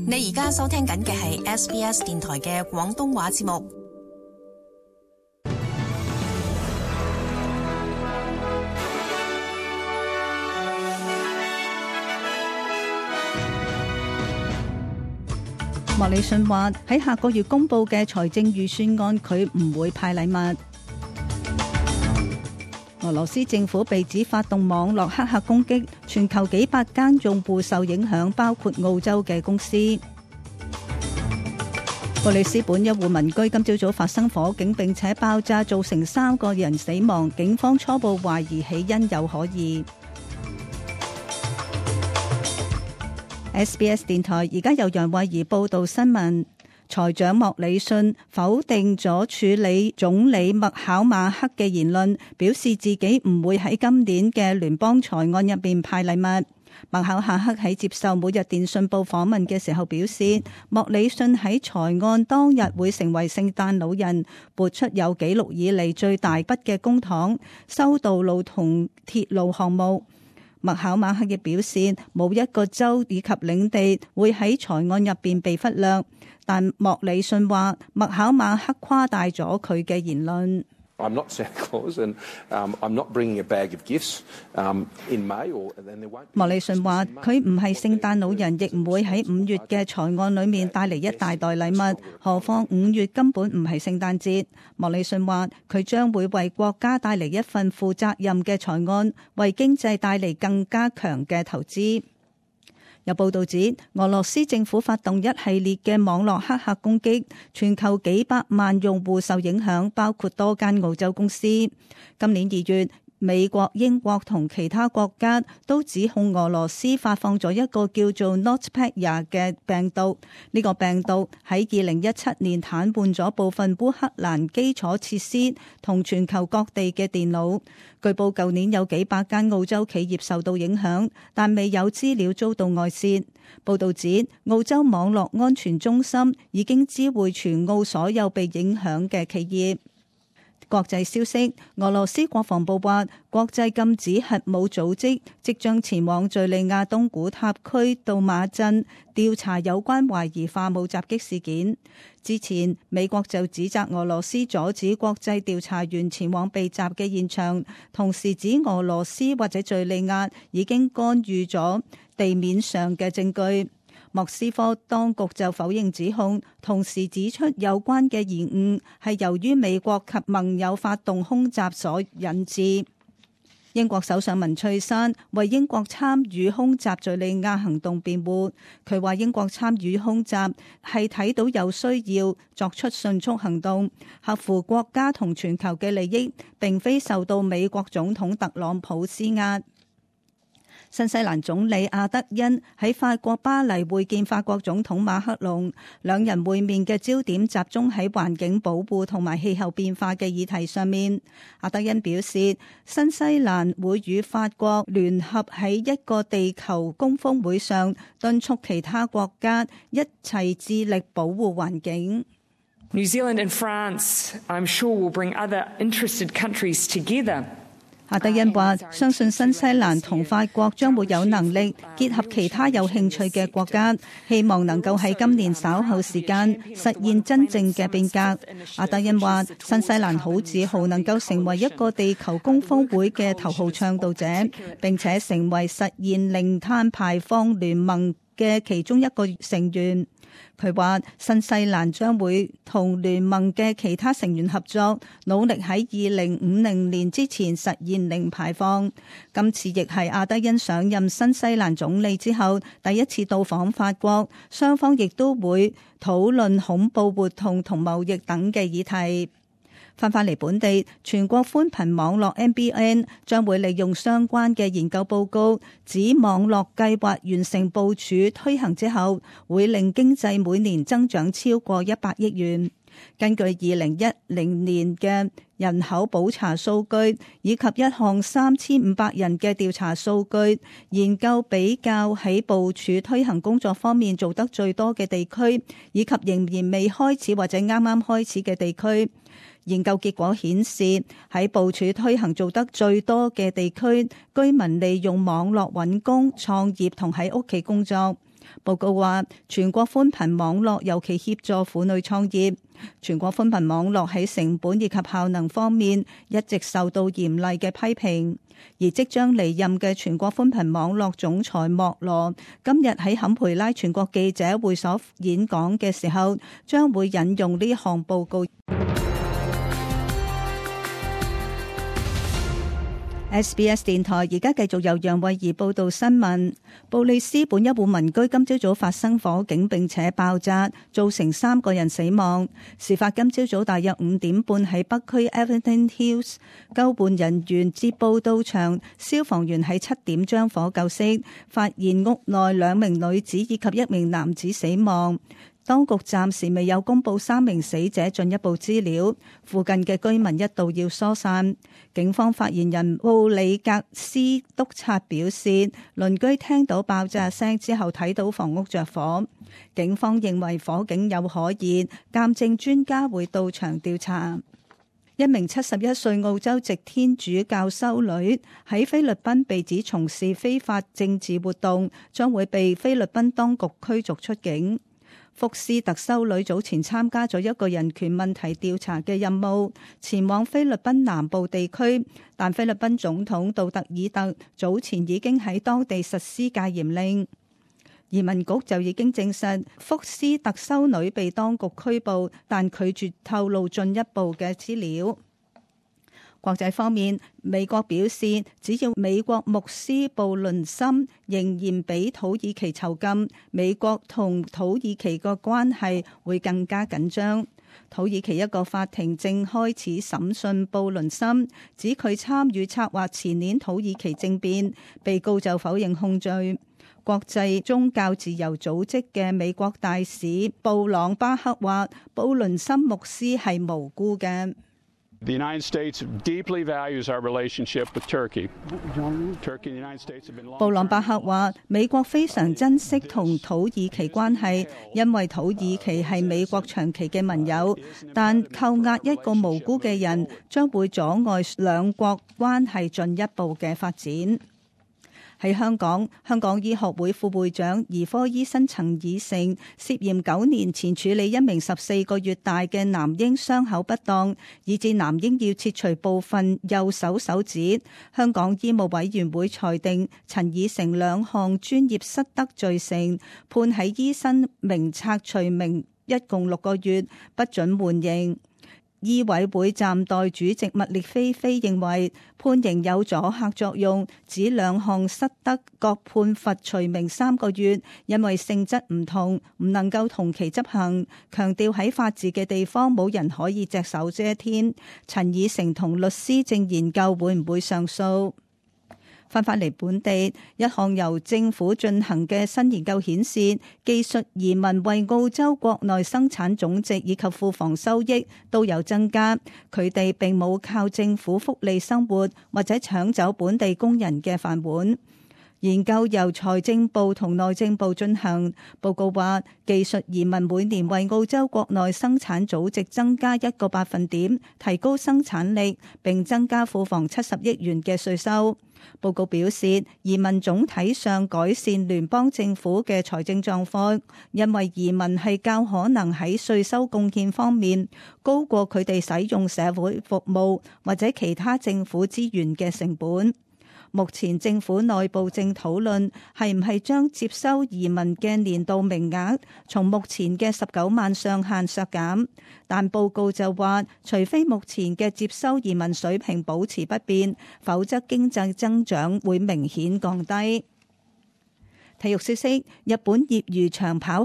你而家收聽緊嘅係 SBS 電台嘅廣東話節目。莫里遜話喺下個月公布嘅財政預算案，佢唔會派禮物。俄羅斯政府被指發動網絡黑客攻擊，全球幾百間用戶受影響，包括澳洲嘅公司。布里斯本一戶民居今朝早發生火警，並且爆炸，造成3個人死亡，警方初步懷疑起因有可疑。SBS 電台而家由楊慧儀報道新聞。財長莫里遜否定咗處理總理麥考馬克嘅言論，表示自己唔會喺今年嘅聯邦財案入邊派禮物。麥考馬克喺接受每日電訊報訪問嘅時候表示，莫里遜喺財案當日會成為聖誕老人，撥出有紀錄以嚟最大筆嘅公帑，修道路同鐵路項目。麥考馬克亦表示，冇一個州以及領地會喺財案入邊被忽略，但莫里遜話麥考馬克誇大咗佢嘅言論。I'm not Santa Claus and I'm not bringing a bag of gifts in May or then there won't be。莫里遜話佢唔係聖誕老人，亦唔會喺5月嘅財案裏面帶嚟一大袋禮物，何況5月根本唔係聖誕節。莫里遜話佢將會為國家帶嚟一份負責任嘅財案，為經濟帶嚟更加強嘅投資。有報道指，俄羅斯政府發動一系列嘅網絡黑客攻擊，全球幾百萬用戶受影響，包括多間澳洲公司。今年2月，美國、英國同其他國家都指控俄羅斯發放咗一個叫做 NotPetya 嘅病毒。呢個病毒喺2017年癱瘓咗部分烏克蘭基礎設施同全球各地嘅電腦。據報舊年有幾百間澳洲企業受到影響，但未有資料遭到外泄。報道指，澳洲網絡安全中心已經知會全澳所有被影響嘅企業。國際消息，俄羅斯國防部話，國際禁止核武組織即將前往敘利亞東古塔區杜馬鎮調查有關懷疑化武襲擊事件。之前，美國就指責俄羅斯阻止國際調查員前往被襲嘅現場，同時指俄羅斯或者敘利亞已經干預咗地面上嘅證據。莫斯科當局就否認指控，同時指出有關嘅延誤係由於美國及盟友發動空襲所引致。英國首相文翠珊為英國參與空襲敘利亞行動辯護，佢話英國參與空襲係睇到有需要作出迅速行動，合乎國家同全球嘅利益，並非受到美國總統特朗普施壓。新西蘭總理阿德恩喺法國巴黎會見法國總統馬克龍，兩人會面嘅焦點集中喺環境保護同埋氣候變化嘅議題上面。阿德恩表示，新西蘭會與法國聯合喺一個地球高峰會上敦促其他國家一齊致力保護環境。New Zealand and France, I'm sure, will bring other interested countries together。阿德恩話：相信新西蘭同法國將會有能力結合其他有興趣嘅國家，希望能夠喺今年稍後時間實現真正嘅變革。阿德恩話：新西蘭好自豪能夠成為一個地球高峰會嘅頭號倡導者，並且成為實現零碳排放聯盟嘅其中一個成員。佢話新西蘭將會同聯盟嘅其他成員合作，努力喺2050年之前實現零排放。今次亦係阿德恩上任新西蘭總理之後第一次到訪法國，雙方亦都會討論恐怖活動同貿易等嘅議題。翻返嚟本地，全國寬頻網絡 NBN 將會利用相關嘅研究報告，指網絡計劃完成部署推行之後，會令經濟每年增長超過100億元。根據2010年嘅人口普查數據以及一項3500人嘅調查數據，研究比較喺部署推行工作方面做得最多嘅地區，以及仍然未開始或者啱啱開始嘅地區。研究結果顯示，喺部署推行做得最多嘅地區，居民利用網絡揾工、創業同喺屋企工作。報告話，全國寬頻網絡尤其協助婦女創業。全國寬頻網絡喺成本以及效能方面一直受到嚴厲嘅批評。而即將離任嘅全國寬頻網絡總裁莫羅今日喺坎培拉全國記者會所演講嘅時候，將會引用呢項報告。SBS 電台而家繼續由楊慧儀報道新聞。布里斯本一戶民居今朝早發生火警並且爆炸，造成3個人死亡。事發今朝早大約5點半喺北區 Everton Hills， 救援人員接報到場，消防員喺7點將火救熄，發現屋內2名女子以及1名男子死亡。當局暫時未有公布3名死者進一步資料，附近嘅居民一度要疏散。警方發言人布里格斯督察表示，鄰居聽到爆炸聲之後睇到房屋着火，警方認為火警有可疑，鑑證專家會到場調查。一名71歲澳洲籍天主教修女喺菲律賓被指從事非法政治活動，將會被菲律賓當局驅逐出境。福斯特修女早前參加咗一個人權問題調查嘅任務，前往菲律賓南部地區，但菲律賓總統杜特爾特早前已經喺當地實施戒嚴令。移民局就已經證實福斯特修女被當局拘捕，但拒絕透露進一步嘅資料。國際方面，美國表示，只要美國牧師布倫森仍然俾土耳其囚禁，美國同土耳其嘅關係會更加緊張。土耳其一個法庭正開始審訊布倫森，指佢參與策劃前年土耳其政變，被告就否認控罪。國際宗教自由組織嘅美國大使布朗巴克話，布倫森牧師係無辜嘅。The United States deeply values our relationship with Turkey. Turkey and the United States have been long. 布朗巴克話：美國非常珍惜同土耳其關係，因為土耳其係美國長期嘅盟友。但扣押一個無辜嘅人，將會阻礙兩國關係進一步嘅發展。喺香港，香港醫學會副會長兒科醫生陳以誠涉嫌9年前處理一名14個月大嘅男嬰傷口不當，以致男嬰要切除部分右手手指。香港醫務委員會裁定陳以誠2項專業失德罪成，判喺醫生名冊除名，一共6個月，不准緩刑。醫委會暫代主席麥列菲菲認為判刑有阻嚇作用，指2項失德各判罰除名3個月，因為性質唔同，唔能夠同期執行。強調喺法治嘅地方冇人可以隻手遮天。陳以誠同律師正研究會唔會上訴。翻返嚟本地，一項由政府進行嘅新研究顯示，技術移民為澳洲國內生產總值以及庫房收益都有增加。佢哋並冇靠政府福利生活，或者搶走本地工人嘅飯碗。研究由財政部同內政部進行，報告話技術移民每年為澳洲國內生產總值增加1個百分點，提高生產力，並增加庫房70億元嘅稅收。報告表示，移民總體上改善聯邦政府嘅財政狀況，因為移民係較可能喺稅收貢獻方面高過佢哋使用社會服務或者其他政府資源嘅成本。目前政府內部正討論係唔係將接收移民嘅年度名額從目前嘅19萬上限削減，但報告就話，除非目前嘅接收移民水平保持不變，否則經濟增長會明顯降低。體育消息：日本業餘長跑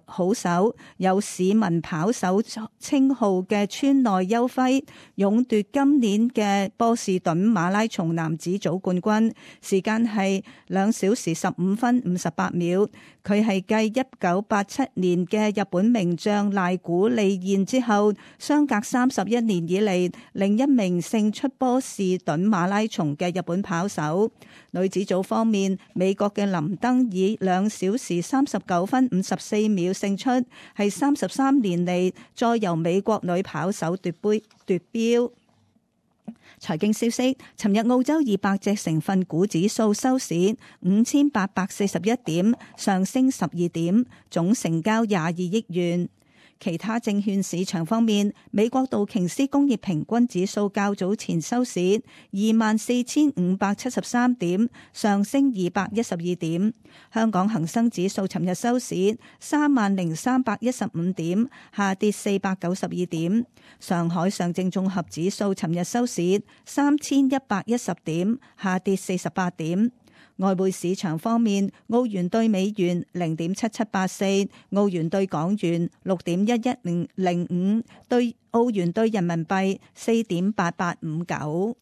好手有市民跑手稱號嘅川內優輝勇奪今年嘅波士頓馬拉松男子組冠軍，時間係2小時15分58秒。佢係繼1987年嘅日本名將瀨古利彥之後，相隔31年以嚟另一名勝出波士頓馬拉松嘅日本跑手。女子組方面，美國嘅林登以2小時39分54秒勝出，係33年嚟再由美國女跑手奪標。財經消息，尋日澳洲200隻成分股指數收市5841點，上升12點，總成交22億元。其他證券市場方面，美國道瓊斯工業平均指數較早前收市24,573點，上升212點。香港恒生指數尋日收市30,315點，下跌492點。上海上證綜合指數尋日收市3110點，下跌48點。外匯市場方面，澳元兌美元0.7784，澳元兌港元6.11005，兌澳元兌人民幣4.8859。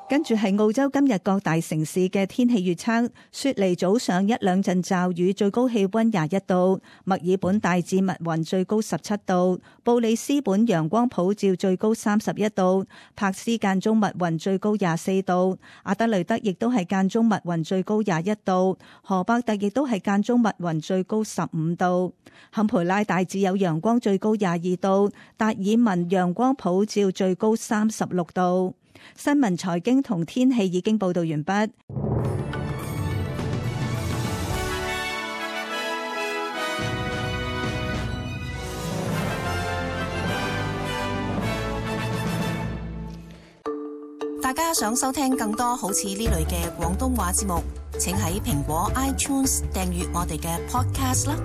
跟住係澳洲今日各大城市嘅天氣預測：雪梨早上一兩陣驟雨，最高氣溫21度；墨爾本大致密雲，最高17度；布里斯本陽光普照，最高31度；柏斯間中密雲，最高24度；阿德雷德亦都係間中密雲，最高21度；荷伯特亦都係間中密雲，最高15度；坎培拉大致有陽光，最高22度；達爾文陽光普照，最高36度。新聞、財經同天氣已經報道完畢。大家想收聽更多好似呢類嘅廣東話節目，請喺蘋果 iTunes 訂閱我哋嘅 Podcast 啦。